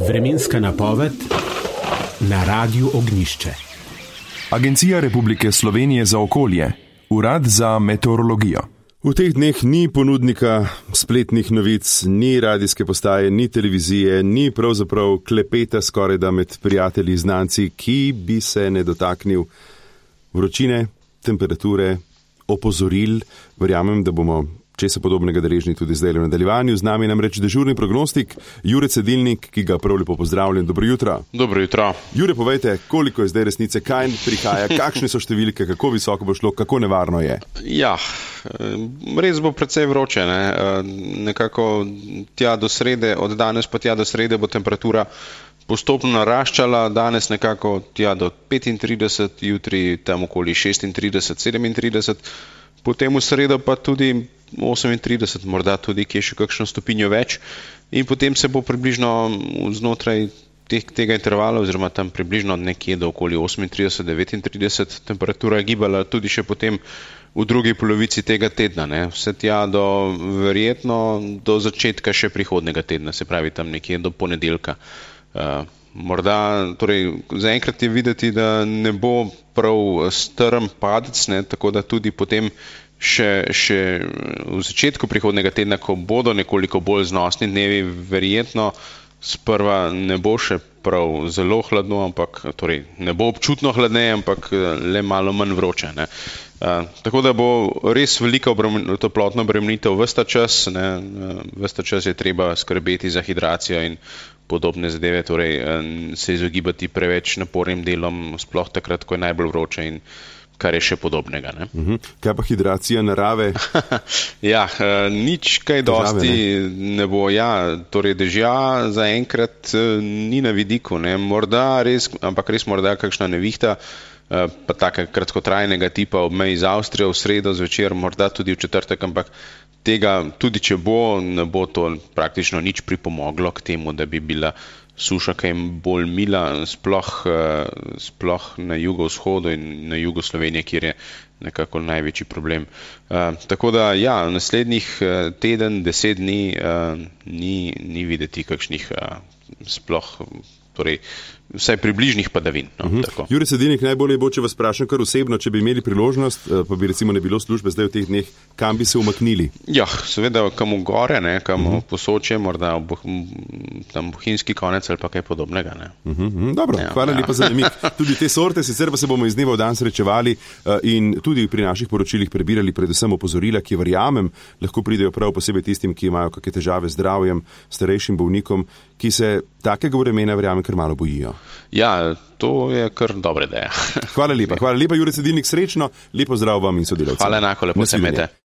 Vremenska napoved na Radiu Ognjišče. Agencija Republike Slovenije za okolje, Urad za meteorologijo. V teh dneh ni ponudnika spletnih novic, ni radijske postaje, ni televizije, ni pravzaprav klepeta skorajda med prijatelji, znanci, ki bi se ne dotaknil vročine, temperature, opozoril. Verjamem, da bomo česa podobnega deležni tudi zdaj v nadaljevanju. Z nami namreč dežurni prognostik Jure Cedilnik, ki ga prav lepo pozdravljam. Dobro jutro. Dobro jutro. Jure, povejte, koliko je zdaj resnice, kaj prihaja, kakšne so številke, kako visoko bo šlo, kako nevarno je? Ja, res bo precej vroče, ne? Nekako tja do srede, od danes pa tja do srede bo temperatura postopno naraščala, danes nekako tja do 35, jutri tam okoli 36, 37, potem v sredo pa tudi 38, morda tudi kje še kakšno stopinjo več in potem se bo približno znotraj tega intervala oziroma tam približno nekje do okoli 38, 39 temperatura gibala tudi še potem v drugi polovici tega tedna, ne? Vse tja do verjetno do začetka še prihodnega tedna, se pravi tam nekje do ponedeljka. Morda, torej zaenkrat je videti, da ne bo prav strm padec, ne? Tako da tudi potem še v začetku prihodnega tedna, ko bodo nekoliko bolj znosni dnevi, verjetno sprva ne bo še prav zelo hladno, ampak torej ne bo občutno hladneje, ampak le malo manj vroče, ne. Tako da bo res velika toplotna obremenitev ves ta čas, ne. Ves ta čas je treba skrbeti za hidracijo in podobne zadeve, torej se izogibati preveč napornim delom, sploh takrat, ko je najbolj vroče in kar je še podobnega, ne. Kaj pa hidracija narave? Ja, nič kaj dosti ne bo, ja, torej dežja zaenkrat ni na vidiku, ne, morda res, ampak res morda kakšna nevihta, pa taka kratkotrajnega tipa ob meji z Avstrijo v sredo zvečer, morda tudi v četrtek, ampak tega, tudi če bo, ne bo to praktično nič pripomoglo k temu, da bi bila suša kaj bolj mila, sploh na jugovzhodu in na jugu Slovenije, kjer je nekako največji problem. Tako da, ja, naslednjih teden, 10 dni ni videti kakšnih sploh, torej vsaj približnih padavin. No, tako. Jure Cedilnik, najbolje bo, če vas vprašam kar osebno, če bi imeli priložnost, pa bi recimo ne bilo službe zdaj v teh dneh, kam bi se umaknili? Ja, seveda kam v gore, ne, kam v Posočje, morda tam bohinjski konec ali pa kaj podobnega. Ne. Dobro, ja, hvala lepa za namig. Tudi te sorte, sicer pa se bomo iz dneva v dan srečevali in tudi pri naših poročilih prebirali predvsem opozorila, ki verjamem, lahko pridejo prav posebej tistim, ki imajo kakšne težave z zdravjem, starejšim bolnikom, ki se takega vremena verjamem kar malo bojijo. Ja, to je kar dobra ideja. Hvala lepa, Jure Cedilnik, srečno, lepo zdrav vam in sodelavcem. Hvala enako, lepo se imejte.